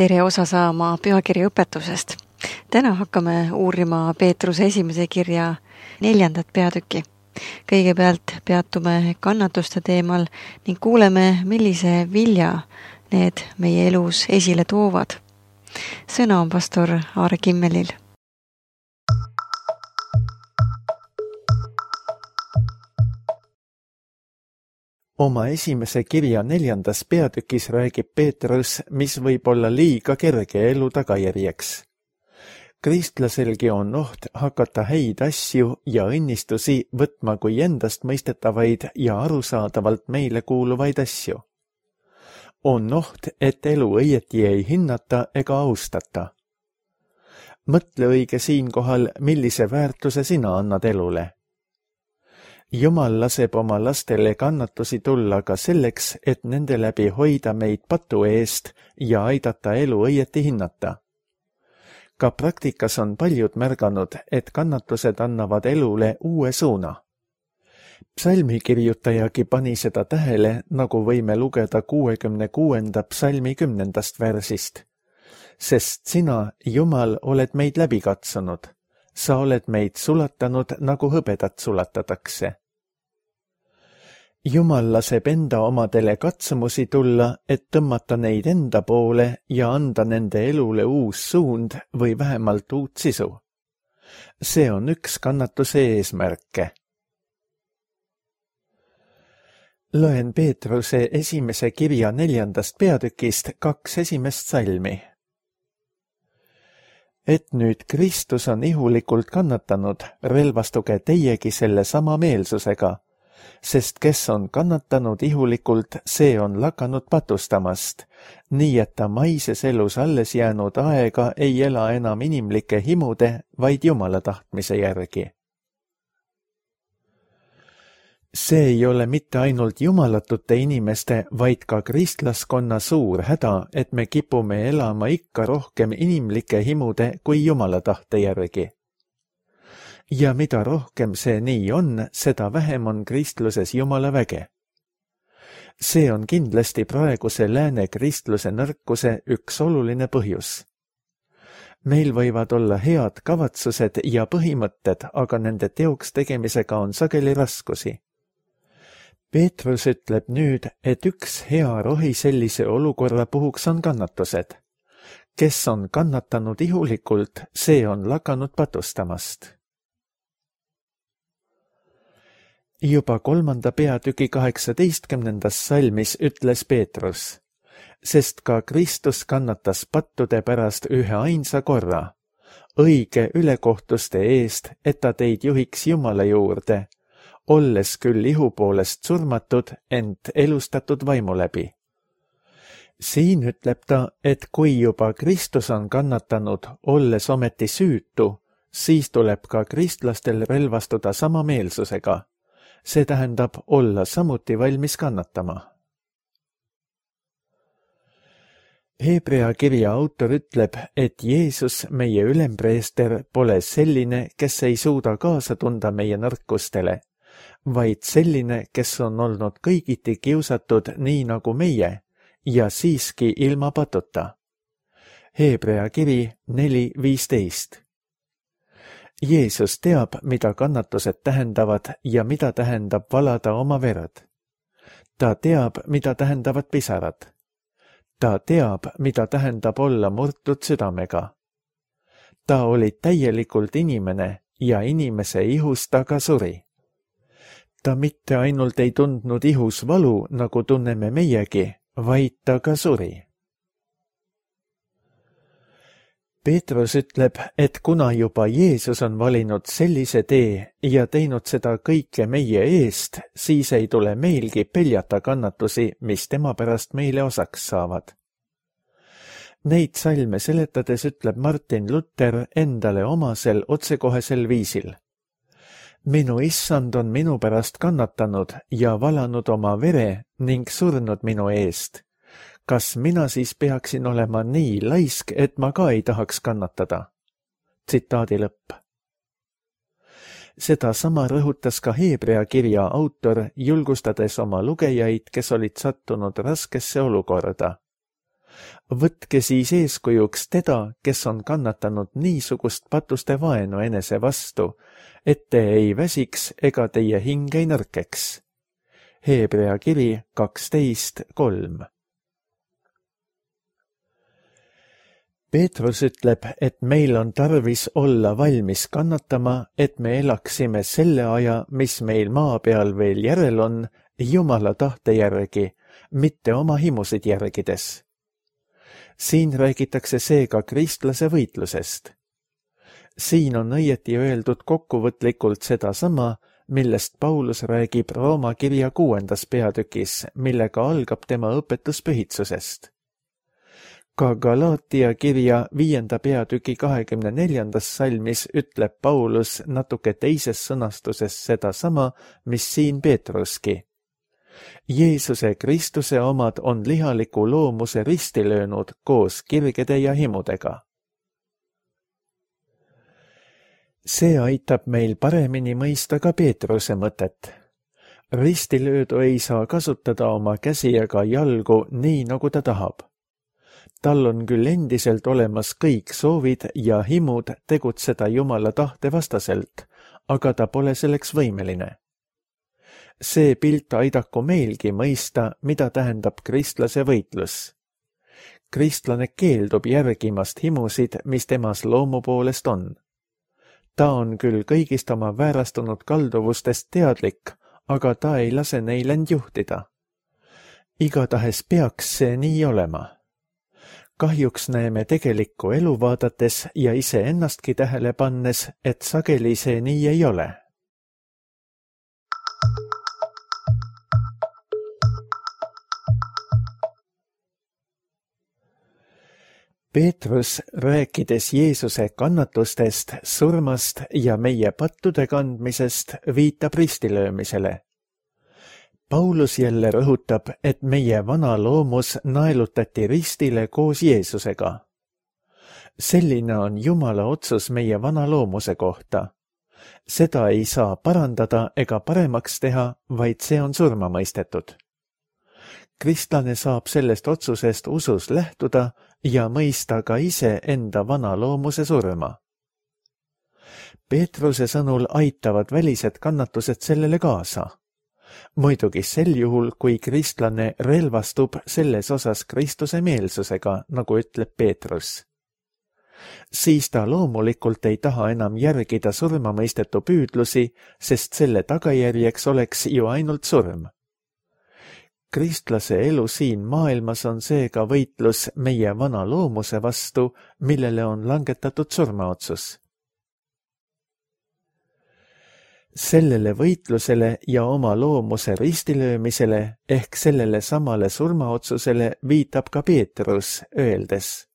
tere osa saama pühakirja õpetusest. Täna hakkame uurima Peetruse esimese kirja 4. peatükki. Kõigepealt peatume kannatuste teemal ning kuuleme, millise vilja need meie elus esile toovad. Sõna on pastor Aare Kimmelil. Oma esimese kirja 4. peatükis räägib Peetrus, mis võib olla liiga kerge elu tagajärjeks. Kristlaselgi on oht hakata häid asju ja õnnistusi võtma kui endast mõistetavaid ja arusaadavalt meile kuuluvaid asju. On oht, et elu õieti ei hinnata ega austata. Mõtle õige siinkohal, millise väärtuse sina annad elule. Jumal laseb oma lastele kannatusi tulla ka selleks, et nende läbi hoida meid patu eest ja aidata elu õieti hinnata. Ka praktikas on paljud märganud, et kannatused annavad elule uue suuna. Psalmikirjutajagi pani seda tähele, nagu võime lugeda 66. psalmi 10. versist. Sest sina, Jumal, oled meid läbi katsunud. Sa oled meid sulatanud, nagu hõbedat sulatatakse. Jumal laseb enda omadele katsumusi tulla, et tõmmata neid enda poole ja anda nende elule uus suund või vähemalt uut sisu. See on üks kannatuse eesmärke. Loen Peetruse esimese kirja 4. peatükist 2 esimest salmi. Et nüüd Kristus on ihulikult kannatanud, relvastuge teiegi selle sama meelsusega, sest kes on kannatanud ihulikult, see on lakanud patustamast, nii et ta maises elus alles jäänud aega ei ela enam inimlike himude, vaid Jumala tahtmise järgi. See ei ole mitte ainult jumalatute inimeste, vaid ka kristlaskonna suur häda, et me kipume elama ikka rohkem inimlike himude kui Jumala tahte järgi. Ja mida rohkem see nii on, seda vähem on kristluses Jumala väge. See on kindlasti praeguse lääne kristluse nõrkuse üks oluline põhjus. Meil võivad olla head kavatsused ja põhimõtted, aga nende teoks tegemisega on sageli raskusi. Peetrus ütleb nüüd, et üks hea rohi sellise olukorra puhuks on kannatused. Kes on kannatanud ihulikult, see on lakanud patustamast. Juba 3. peatüki 18. salmis ütles Peetrus, sest ka Kristus kannatas pattude pärast ühe ainsa korra, õige ülekohtuste eest, et ta teid juhiks Jumala juurde, olles küll ihu poolest surmatud, ent elustatud vaimu läbi. Siin ütleb ta, et kui juba Kristus on kannatanud, olles ometi süütu, siis tuleb ka kristlastel relvastuda sama meelsusega. See tähendab olla samuti valmis kannatama. Hebrea kirja autor ütleb, et Jeesus, meie ülempreester, pole selline, kes ei suuda kaasa tunda meie nõrkustele, vaid selline, kes on olnud kõigiti kiusatud nii nagu meie ja siiski ilma patuta. Hebrea kiri 4.15. Jeesus teab, mida kannatused tähendavad ja mida tähendab valada oma verd. Ta teab, mida tähendavad pisarad. Ta teab, mida tähendab olla murtud südamega. Ta oli täielikult inimene ja inimese ihus ta ka suri. Ta mitte ainult ei tundnud ihus valu, nagu tunneme meiegi, vaid ta ka suri. Peetrus ütleb, et kuna juba Jeesus on valinud sellise tee ja teinud seda kõike meie eest, siis ei tule meilgi peljata kannatusi, mis tema pärast meile osaks saavad. Neid salme seletades ütleb Martin Luther endale omasel otsekohesel viisil. Minu issand on minu pärast kannatanud ja valanud oma vere ning surnud minu eest. Kas mina siis peaksin olema nii laisk, et ma ka ei tahaks kannatada? Tsitaadi lõpp. Seda sama rõhutas ka Hebrea kirja autor, julgustades oma lugejaid, kes olid sattunud raskesse olukorda. Võtke siis eeskujuks teda, kes on kannatanud niisugust patuste vaenu enese vastu, et te ei väsiks ega teie hing ei nõrkeks. Hebrea kiri 12:3. Peetrus ütleb, et meil on tarvis olla valmis kannatama, et me elaksime selle aja, mis meil maa peal veel järel on, Jumala tahte järgi, mitte oma himusid järgides. Siin räägitakse seega kristlase võitlusest. Siin on õieti öeldud kokkuvõtlikult sedasama, millest Paulus räägib Rooma kirja 6. peatükis, millega algab tema õpetus pühitsusest. Ka Galaatia kirja 5. peatüki 24. salmis ütleb Paulus natuke teises sõnastuses sedasama, mis siin Peetruski. Jeesuse Kristuse omad on lihaliku loomuse risti löönud koos kirgede ja himudega. See aitab meil paremini mõista ka Peetruse mõtet. Ristilöödu ei saa kasutada oma käsi ega jalgu nii, nagu ta tahab. Tal on küll endiselt olemas kõik soovid ja himud tegutseda Jumala tahte vastaselt, aga ta pole selleks võimeline. See pilt aidaku meilgi mõista, mida tähendab kristlase võitlus. Kristlane keeldub järgimast himusid, mis temas loomu poolest on. Ta on küll kõigist oma väärastunud kalduvustest teadlik, aga ta ei lase neil end juhtida. Igatahes peaks see nii olema. Kahjuks näeme tegelikku elu vaadates ja iseennastki tähele pannes, et sageli see nii ei ole. Peetrus, rääkides Jeesuse kannatustest, surmast ja meie pattude kandmisest, viitab ristilöömisele. Paulus jälle rõhutab, et meie vana loomus naelutati ristile koos Jeesusega. Selline on Jumala otsus meie vana loomuse kohta. Seda ei saa parandada ega paremaks teha, vaid see on surma mõistetud. Kristlane saab sellest otsusest usus lähtuda ja mõista ka ise enda vana loomuse surma. Peetruse sõnul aitavad välised kannatused sellele kaasa. Muidugi sel juhul, kui kristlane relvastub selles osas Kristuse meelsusega, nagu ütleb Peetrus. Siis ta loomulikult ei taha enam järgida surmamõistetu püüdlusi, sest selle tagajärjeks oleks ju ainult surm. Kristlase elu siin maailmas on seega võitlus meie vana loomuse vastu, millele on langetatud surmaotsus. Sellele võitlusele ja oma loomuse ristilöömisele ehk sellele samale surmaotsusele viitab ka Peetrus, öeldes,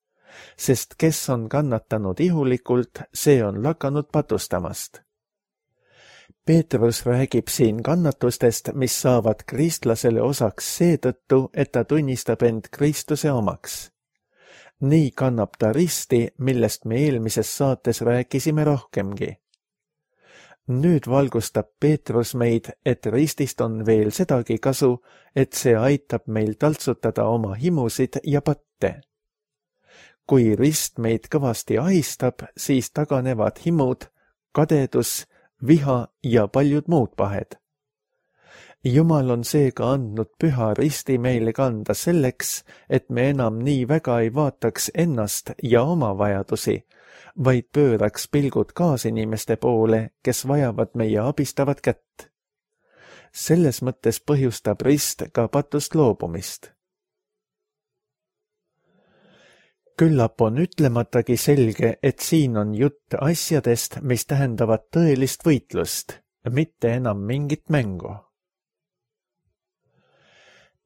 sest kes on kannatanud ihulikult, see on lakanud patustamast. Peetrus räägib siin kannatustest, mis saavad kristlasele osaks seetõttu, et ta tunnistab end Kristuse omaks. Nii kannab ta risti, millest me eelmises saates rääkisime rohkemgi. Nüüd valgustab Peetrus meid, et ristist on veel sedagi kasu, et see aitab meil taltsutada oma himusid ja patte. Kui rist meid kõvasti ahistab, siis taganevad himud, kadedus, viha ja paljud muud pahed. Jumal on seega andnud püha risti meile kanda selleks, et me enam nii väga ei vaataks ennast ja oma vajadusi, vaid pööraks pilgud kaasinimeste poole, kes vajavad meie abistavat kätt. Selles mõttes põhjustab rist ka patust loobumist. Küllap on ütlematagi selge, et siin on jutt asjadest, mis tähendavad tõelist võitlust, mitte enam mingit mängu.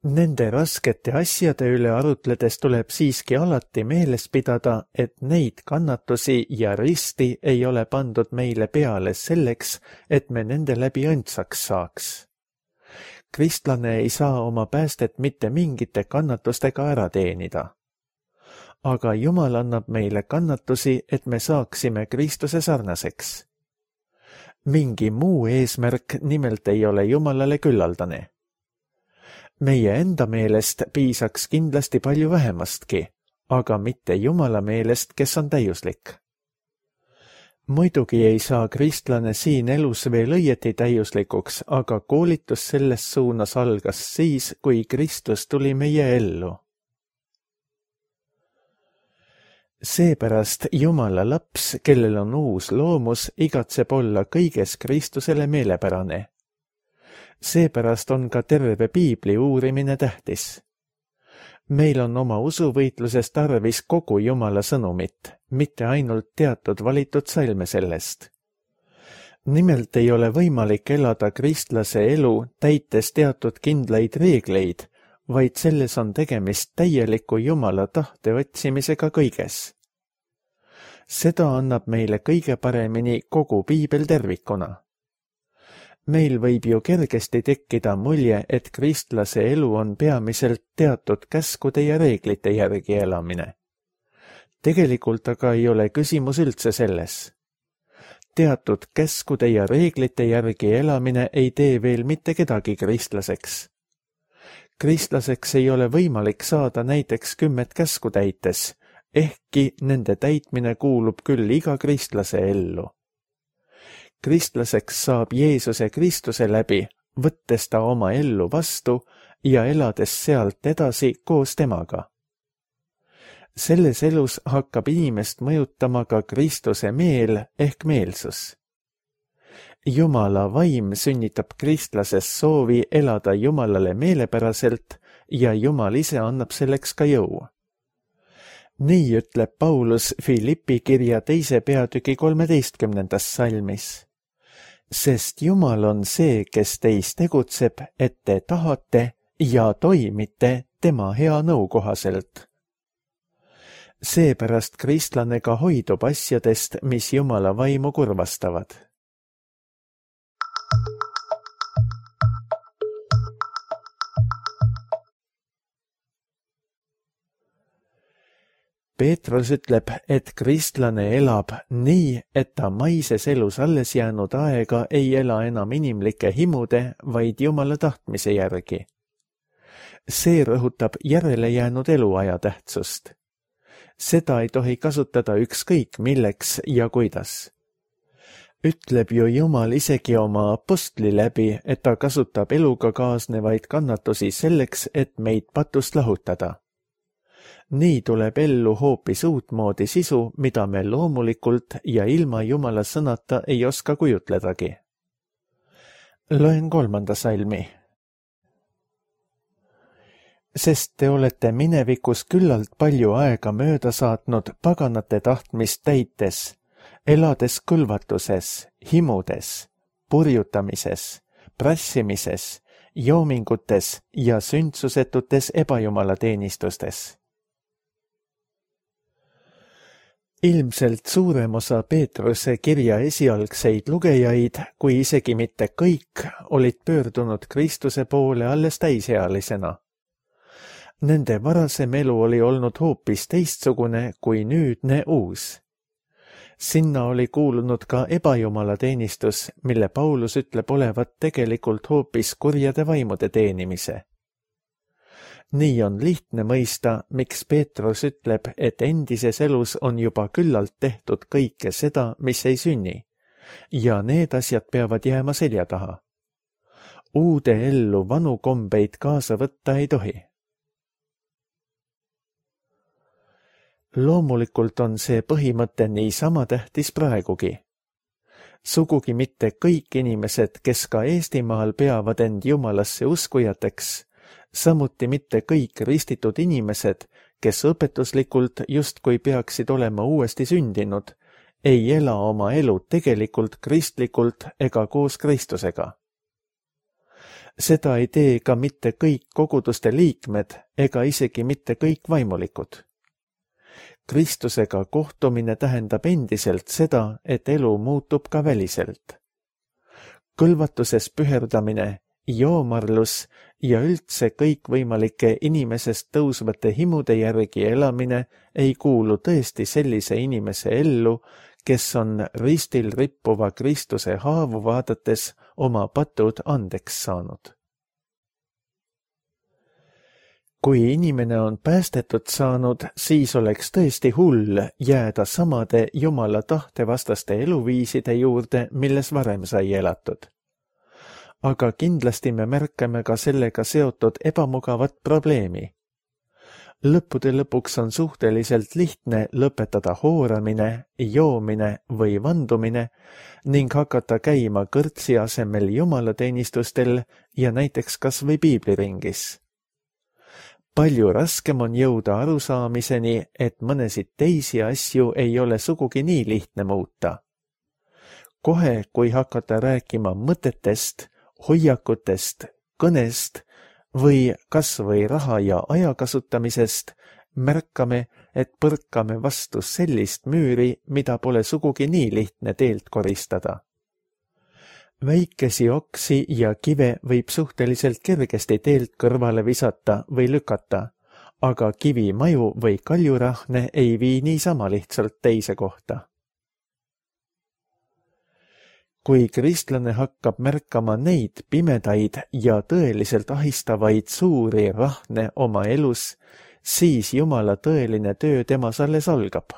Nende raskete asjade üle arutledes tuleb siiski alati meeles pidada, et neid kannatusi ja risti ei ole pandud meile peale selleks, et me nende läbi õndsaks saaks. Kristlane ei saa oma päästet mitte mingite kannatustega ära teenida. Aga Jumal annab meile kannatusi, et me saaksime Kristuse sarnaseks. Mingi muu eesmärk nimelt ei ole Jumalale küllaldane. meie enda meelest piisaks kindlasti palju vähemastki, aga mitte Jumala meelest, kes on täiuslik. Muidugi ei saa kristlane siin elus veel õieti täiuslikuks, aga koolitus selles suunas algas siis, kui Kristus tuli meie ellu. Seepärast Jumala laps, kellel on uus loomus, igatseb olla kõiges Kristusele meelepärane. Seepärast on ka terve piibli uurimine tähtis. Meil on oma usuvõitluses tarvis kogu Jumala sõnumit, mitte ainult teatud valitud salme sellest. Nimelt ei ole võimalik elada kristlase elu täites teatud kindlaid reegleid, vaid selles on tegemist täieliku Jumala tahte otsimisega kõiges. Seda annab meile kõige paremini kogu piibel tervikuna. Meil võib ju kergesti tekkida mulje, et kristlase elu on peamiselt teatud käskude ja reeglite järgi elamine. Tegelikult aga ei ole küsimus üldse selles. Teatud käskude ja reeglite järgi elamine ei tee veel mitte kedagi kristlaseks. Kristlaseks ei ole võimalik saada näiteks 10 käsku täites, ehkki nende täitmine kuulub küll iga kristlase ellu. Kristlaseks saab Jeesuse Kristuse läbi, võttes ta oma ellu vastu ja elades sealt edasi koos temaga. Selles elus hakkab inimest mõjutama ka Kristuse meel ehk meelsus. Jumala vaim sünnitab kristlases soovi elada Jumalale meelepäraselt ja Jumal ise annab selleks ka jõu. Nii ütleb Paulus Filippi kirja 2. peatüki 13. salmis. Sest Jumal on see, kes teis tegutseb, et te tahate ja toimite tema hea nõu kohaselt. Seepärast kristlane ka hoidub asjadest, mis Jumala vaimu kurvastavad. Peetrus ütleb, et kristlane elab nii, et ta maises elus alles jäänud aega ei ela enam inimlike himude, vaid Jumala tahtmise järgi. See rõhutab järele jäänud eluaja tähtsust. Seda ei tohi kasutada ükskõik milleks ja kuidas. Ütleb ju Jumal isegi oma apostli läbi, et ta kasutab eluga kaasnevaid kannatusi selleks, et meid patust lahutada. Nii tuleb ellu hoopis uutmoodi sisu, mida me loomulikult ja ilma Jumala sõnata ei oska kujutledagi. Loen 3. salmi. Sest te olete minevikus küllalt palju aega mööda saatnud paganate tahtmist täites, elades kõlvatuses, himudes, purjutamises, prassimises, joomingutes ja sündsusetutes ebajumala teenistustes. Ilmselt suurem osa Peetruse kirja esialgseid lugejaid, kui isegi mitte kõik, olid pöördunud Kristuse poole alles täisealisena. Nende varasem elu oli olnud hoopis teistsugune kui nüüdne uus. Sinna oli kuulunud ka ebajumala teenistus, mille Paulus ütleb olevat tegelikult hoopis kurjade vaimude teenimise. Nii on lihtne mõista, miks Peetrus ütleb, et endises elus on juba küllalt tehtud kõike seda, mis ei sünni, ja need asjad peavad jääma selja taha. Uude ellu vanu kombeid kaasa võtta ei tohi. Loomulikult on see põhimõte niisama tähtis praegugi. Sugugi mitte kõik inimesed, kes ka Eestimaal peavad end Jumalasse uskujateks, samuti mitte kõik ristitud inimesed, kes õpetuslikult justkui peaksid olema uuesti sündinud, ei ela oma elu tegelikult kristlikult ega koos Kristusega. Seda ei tee ka mitte kõik koguduste liikmed ega isegi mitte kõik vaimulikud. Kristusega kohtumine tähendab endiselt seda, et elu muutub ka väliselt. Kõlvatuses püherdamine, joomarlus ja üldse kõikvõimalike inimesest tõusvate himude järgi elamine ei kuulu tõesti sellise inimese ellu, kes on ristil rippuva Kristuse haavu vaadates oma patud andeks saanud. Kui inimene on päästetud saanud, siis oleks tõesti hull jääda samade Jumala tahtevastaste eluviiside juurde, milles varem sai elatud. Aga kindlasti me märkame ka sellega seotud ebamugavat probleemi. Lõppude lõpuks on suhteliselt lihtne lõpetada hooramine, joomine või vandumine ning hakata käima kõrtsi asemel jumalateenistustel ja näiteks kas või piibliringis. Palju raskem on jõuda arusaamiseni, et mõnesid teisi asju ei ole sugugi nii lihtne muuta. Kohe, kui hakata rääkima mõtetest, hoiakutest, kõnest või kas või raha ja aja kasutamisest, märkame, et põrkame vastu sellist müüri, mida pole sugugi nii lihtne teelt koristada. Väikesi oksi ja kive võib suhteliselt kergesti teelt kõrvale visata või lükata, aga kivimaju või kaljurahne ei vii niisama lihtsalt teise kohta. Kui kristlane hakkab märkama neid pimedaid ja tõeliselt ahistavaid suuri rahne oma elus, siis Jumala tõeline töö temas alles algab.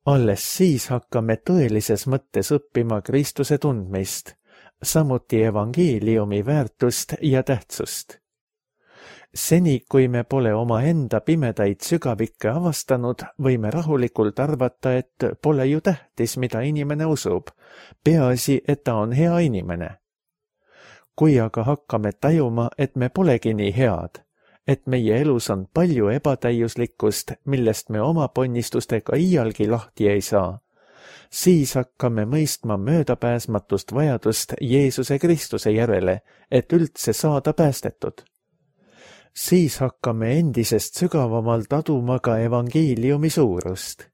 Alles siis hakkame tõelises mõttes õppima Kristuse tundmist, samuti evangeeliumi väärtust ja tähtsust. Seni, kui me pole omaenda pimedaid sügavikke avastanud, võime rahulikult arvata, et pole ju tähtis, mida inimene usub, peaasi, et ta on hea inimene. Kui aga hakkame tajuma, et me polegi nii head, et meie elus on palju ebatäiuslikkust, millest me oma ponnistustega iialgi lahti ei saa, siis hakkame mõistma möödapääsmatust vajadust Jeesuse Kristuse järele, et üldse saada päästetud. Siis hakkame endisest sügavamalt aduma ka evangeeliumi suurust.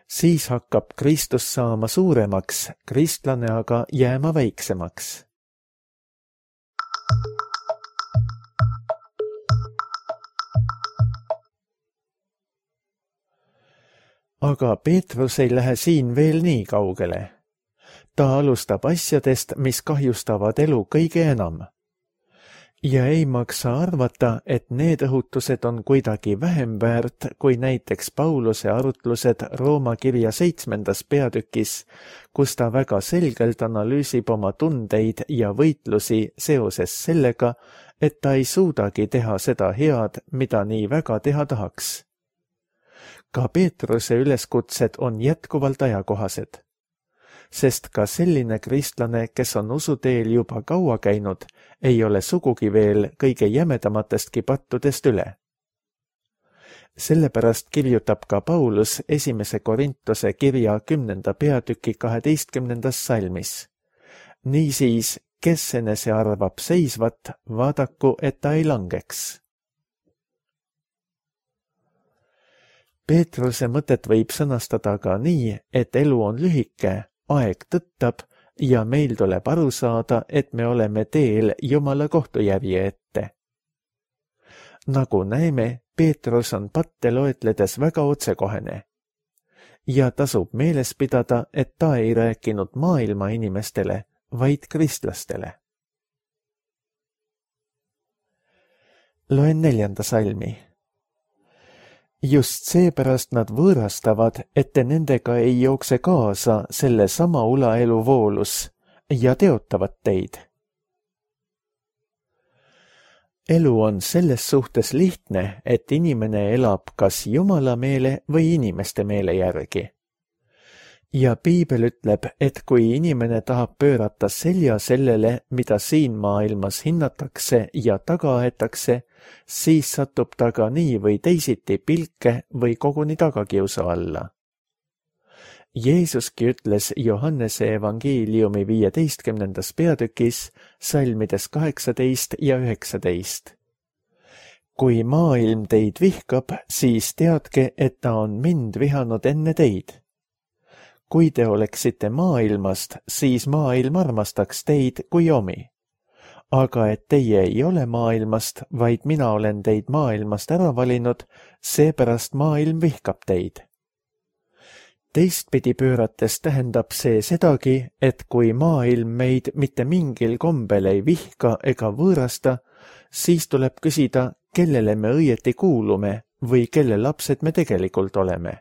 Siis hakkab Kristus saama suuremaks, kristlane aga jääma väiksemaks. Aga Peetrus ei lähe siin veel nii kaugele. Ta alustab asjadest, mis kahjustavad elu kõige enam. Ja ei maksa arvata, et need õhutused on kuidagi vähem väärt kui näiteks Pauluse arutlused Rooma kirja 7. peatükis, kus ta väga selgelt analüüsib oma tundeid ja võitlusi seoses sellega, et ta ei suudagi teha seda head, mida nii väga teha tahaks. Ka Peetruse üleskutsed on jätkuvalt ajakohased. Sest ka selline kristlane, kes on usuteel juba kaua käinud, ei ole sugugi veel kõige jämedamatestki pattudest üle. Sellepärast kirjutab ka Paulus 1. Korintuse kirja 10. peatüki 12. salmis. Niisiis, kes enese arvab seisvat, vaadaku, et ta ei langeks. Peetruse mõtet võib sõnastada ka nii, et elu on lühike, aeg tõttab ja meil tuleb aru saada, et me oleme teel Jumala kohtujärje ette. Nagu näeme, Peetrus on patte loetledes väga otsekohene. Ja tasub meeles pidada, et ta ei rääkinud maailma inimestele, vaid kristlastele. Loen 4. salmi. Just seepärast nad võõrastavad, et te nendega ei jookse kaasa selle sama ulaelu voolus ja teotavad teid. Elu on selles suhtes lihtne, et inimene elab kas Jumala meele või inimeste meele järgi. Ja Piibel ütleb, et kui inimene tahab pöörata selja sellele, mida siin maailmas hinnatakse ja taga aetakse, siis satub ta ka nii või teisiti pilke või koguni tagakiusa alla. Jeesuski ütles Johannese evangeeliumi 15. peatükis, salmides 18 ja 19. Kui maailm teid vihkab, siis teadke, et ta on mind vihanud enne teid. Kui te oleksite maailmast, siis maailm armastaks teid kui omi. Aga et teie ei ole maailmast, vaid mina olen teid maailmast ära valinud, seepärast maailm vihkab teid. Teistpidi pöörates tähendab see sedagi, et kui maailm meid mitte mingil kombel ei vihka ega võõrasta, siis tuleb küsida, kellele me õieti kuulume või kelle lapsed me tegelikult oleme.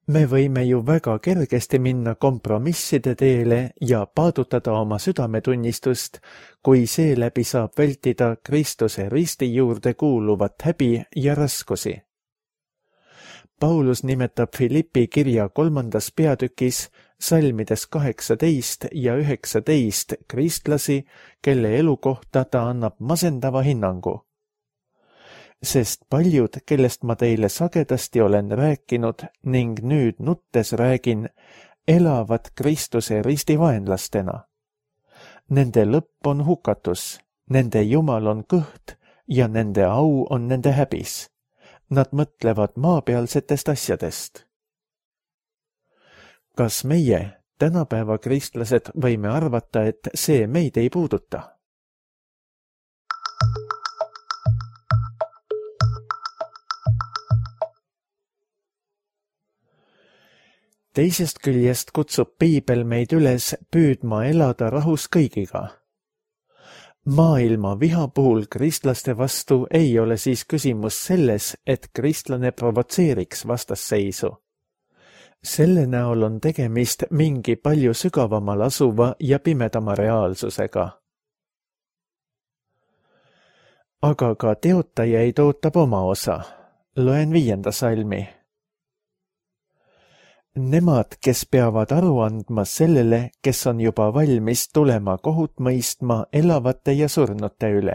Me võime ju väga kergesti minna kompromisside teele ja paadutada oma südametunnistust, kui seeläbi saab vältida Kristuse risti juurde kuuluvat häbi ja raskusi. Paulus nimetab Philippi kirja 3. peatükis salmides 18 ja 19 kristlasi, kelle elu kohta ta annab masendava hinnangu. Sest paljud, kellest ma teile sagedasti olen rääkinud ning nüüd nuttes räägin, elavad Kristuse risti vaenlastena. Nende lõpp on hukatus, nende jumal on kõht ja nende au on nende häbis. Nad mõtlevad maapealsetest asjadest. Kas meie, tänapäeva kristlased, võime arvata, et see meid ei puuduta? Teisest küljest kutsub Piibel meid üles püüdma elada rahus kõigiga. Maailma viha puhul kristlaste vastu ei ole siis küsimus selles, et kristlane provotseeriks vastasseisu. Selle näol on tegemist mingi palju sügavamal asuva ja pimedama reaalsusega. Aga ka teotajaid ootab oma osa. Loen 5. salmi. Nemad, kes peavad aru andma sellele, kes on juba valmis tulema kohut mõistma elavate ja surnute üle.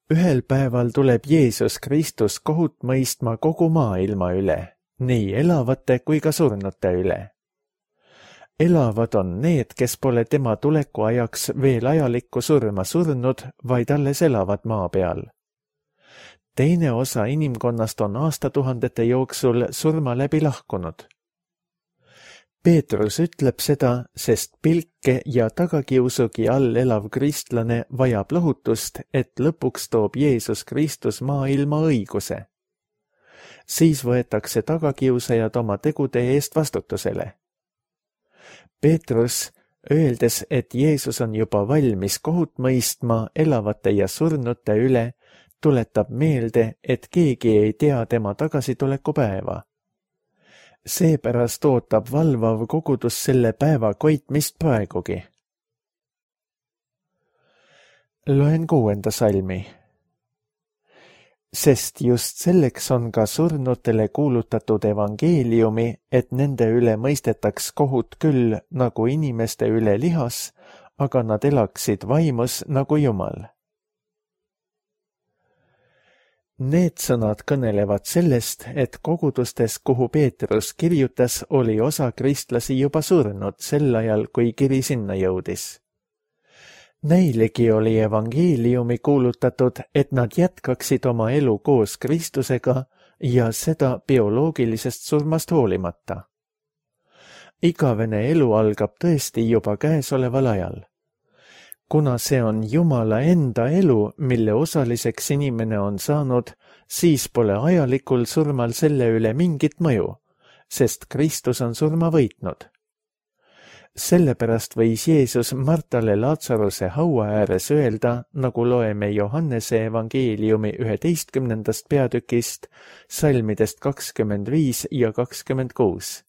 Ühel päeval tuleb Jeesus Kristus kohut mõistma kogu maailma üle, nii elavate kui ka surnute üle. Elavad on need, kes pole tema tuleku ajaks veel ajalikku surma surnud, vaid alles elavad maa peal. Teine osa inimkonnast on aastatuhandete jooksul surma läbi lahkunud. Peetrus ütleb seda, sest pilke ja tagakiusugi all elav kristlane vajab lohutust, et lõpuks toob Jeesus Kristus maailma õiguse. Siis võetakse tagakiusajad oma tegude eest vastutusele. Peetrus, öeldes, et Jeesus on juba valmis kohut mõistma elavate ja surnute üle, tuletab meelde, et keegi ei tea tema tagasituleku päeva. Seepärast ootab valvav kogudus selle päeva koitmist praegugi. Loen 6. salmi. Sest just selleks on ka surnutele kuulutatud evangeeliumi, et nende üle mõistetaks kohut küll nagu inimeste üle lihas, aga nad elaksid vaimus nagu Jumal. Need sõnad kõnelevad sellest, et kogudustes, kuhu Peetrus kirjutas, oli osa kristlasi juba surnud sel ajal, kui kiri sinna jõudis. Neilegi oli evangeeliumi kuulutatud, et nad jätkaksid oma elu koos Kristusega ja seda bioloogilisest surmast hoolimata. Igavene elu algab tõesti juba käesoleval ajal. Kuna see on Jumala enda elu, mille osaliseks inimene on saanud, siis pole ajalikul surmal selle üle mingit mõju, sest Kristus on surma võitnud. Sellepärast võis Jeesus Martale Laatsaruse haua ääres öelda, nagu loeme Johannese evangeeliumi 11. peatükist, salmidest 25 ja 26.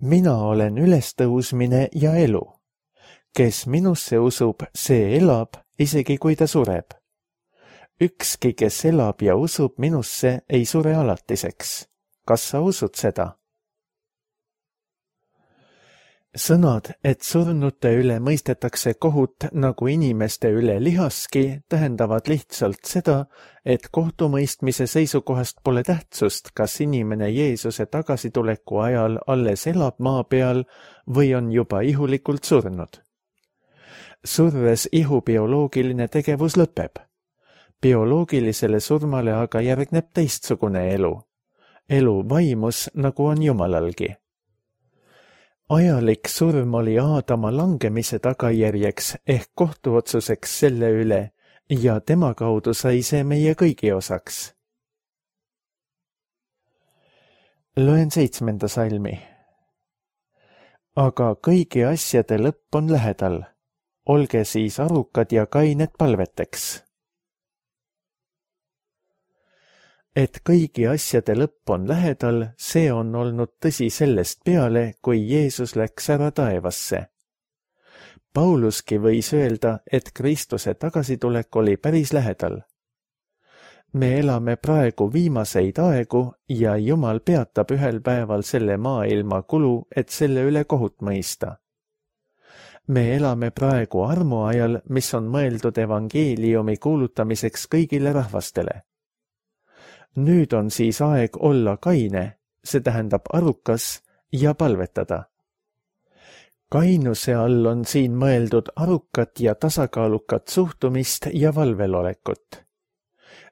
Mina olen ülestõusmine ja elu. Kes minusse usub, see elab, isegi kui ta sureb. Ükski, kes elab ja usub minusse, ei sure alatiseks. Kas sa usud seda? Sõnad, et surnute üle mõistetakse kohut nagu inimeste üle lihaski, tähendavad lihtsalt seda, et kohtumõistmise seisukohast pole tähtsust, kas inimene Jeesuse tagasituleku ajal alles elab maa peal või on juba ihulikult surnud. Surres ihu bioloogiline tegevus lõpeb. Bioloogilisele surmale aga järgneb teistsugune elu. Elu vaimus, nagu on Jumalalgi. Ajalik surm oli Aadama langemise tagajärjeks ehk kohtuotsuseks selle üle ja tema kaudu sai see meie kõigi osaks. Loen 7. salmi. Aga kõigi asjade lõpp on lähedal. olge siis arukad ja kained palveteks. Et kõigi asjade lõpp on lähedal, see on olnud tõsi sellest peale, kui Jeesus läks ära taevasse. Pauluski võis öelda, et Kristuse tagasitulek oli päris lähedal. Me elame praegu viimaseid aegu ja Jumal peatab ühel päeval selle maailma kulu, et selle üle kohut mõista. Me elame praegu armuajal, mis on mõeldud evangeeliumi kuulutamiseks kõigile rahvastele. Nüüd on siis aeg olla kaine, see tähendab arukas ja palvetada. Kainuse all on siin mõeldud arukat ja tasakaalukat suhtumist ja valvelolekut.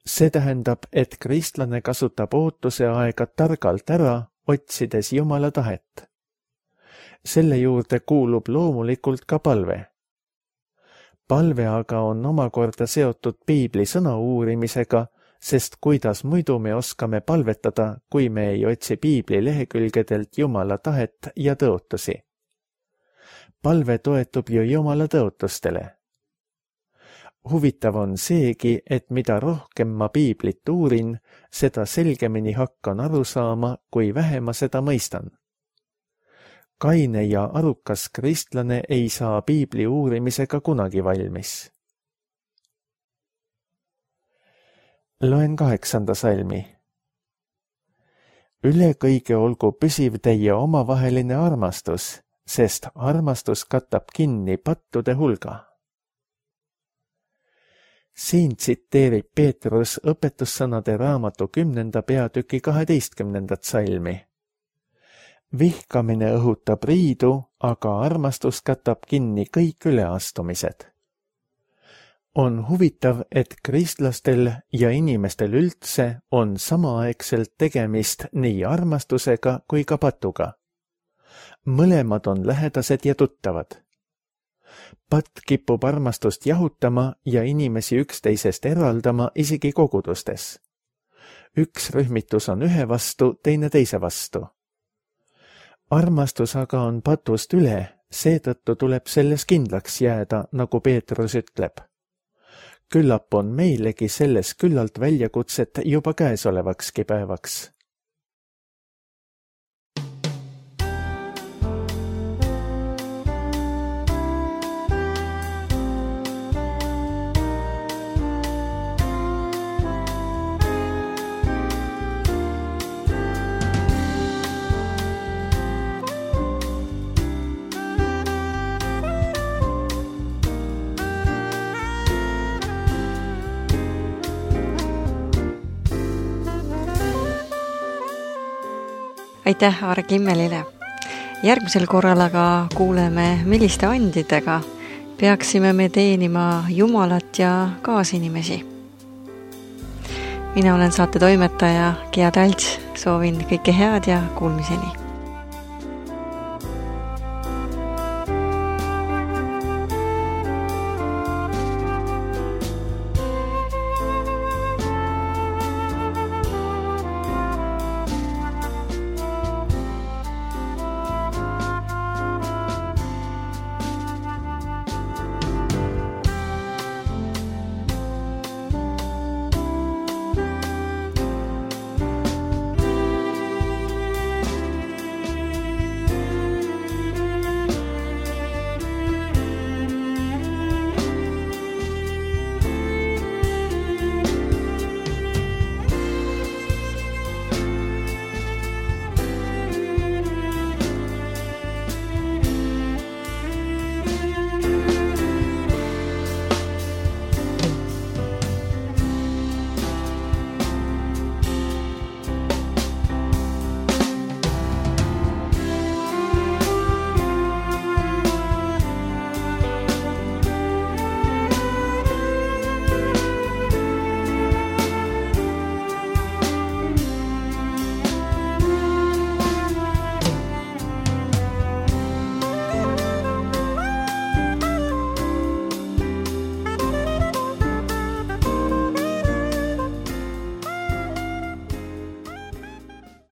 See tähendab, et kristlane kasutab ootuse aega targalt ära, otsides Jumala tahet. Selle juurde kuulub loomulikult ka palve. Palve aga on omakorda seotud piibli sõna uurimisega, sest kuidas muidu me oskame palvetada, kui me ei otsi piibli lehekülgedelt Jumala tahet ja tõotusi. Palve toetub ju Jumala tõotustele. Huvitav on seegi, et mida rohkem ma piiblit uurin, seda selgemini hakkan aru saama, kui vähe ma seda mõistan. Kaine ja arukas kristlane ei saa piibli uurimisega kunagi valmis. Loen 8. salmi. Üle kõige olgu püsiv teie omavaheline armastus, sest armastus katab kinni pattude hulga. Siin tsiteerib Peetrus õpetussõnade raamatu 10. peatüki 12. salmi. Vihkamine õhutab riidu, aga armastus katab kinni kõik üleastumised. On huvitav, et kristlastel ja inimestel üldse on samaaegselt tegemist nii armastusega kui ka patuga. Mõlemad on lähedased ja tuttavad. Patt kipub armastust jahutama ja inimesi üksteisest eraldama isegi kogudustes. Üks rühmitus on ühe vastu, teine teise vastu. Armastus aga on patust üle, seetõttu tuleb selles kindlaks jääda, nagu Peetrus ütleb. Küllap on meilegi selles küllalt väljakutset juba käesolevakski päevaks. Aitäh Aare Kimmelile. Järgmisel korral aga kuuleme, milliste andidega peaksime me teenima Jumalat ja kaasinimesi. Mina olen saate toimetaja Gia Talts, soovin kõike head ja kuulmiseni.